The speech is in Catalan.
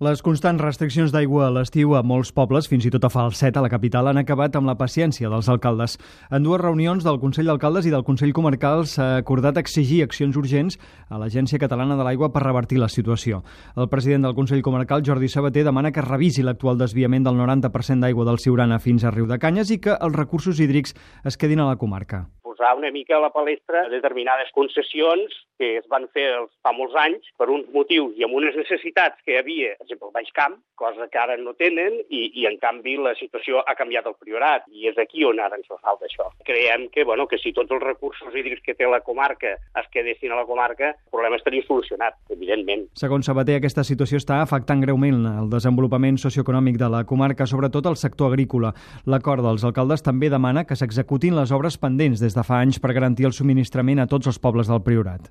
Les constants restriccions d'aigua a l'estiu a molts pobles, fins i tot a Falset, a la capital, han acabat amb la paciència dels alcaldes. En dues reunions del Consell d'Alcaldes i del Consell Comarcal s'ha acordat exigir accions urgents a l'Agència Catalana de l'Aigua per revertir la situació. El president del Consell Comarcal, Jordi Sabater, demana que es revisi l'actual desviament del 90% d'aigua del Siurana fins a Riudecanyes i que els recursos hídrics es quedin a la comarca. Posar una mica a la palestra determinades concessions que es van fer fa molts anys per uns motius i amb unes necessitats que hi havia, per exemple, al Baix Camp, cosa que ara no tenen i en canvi la situació ha canviat al Priorat i és aquí on ara ens fa falta això. Creiem que si tots els recursos hídrics que té la comarca es quedessin a la comarca, el problema estaria solucionat, evidentment. Segons Sabater, aquesta situació està afectant greument el desenvolupament socioeconòmic de la comarca, sobretot el sector agrícola. L'acord dels alcaldes també demana que s'executin les obres pendents des de fa anys per garantir el subministrament a tots els pobles del Priorat.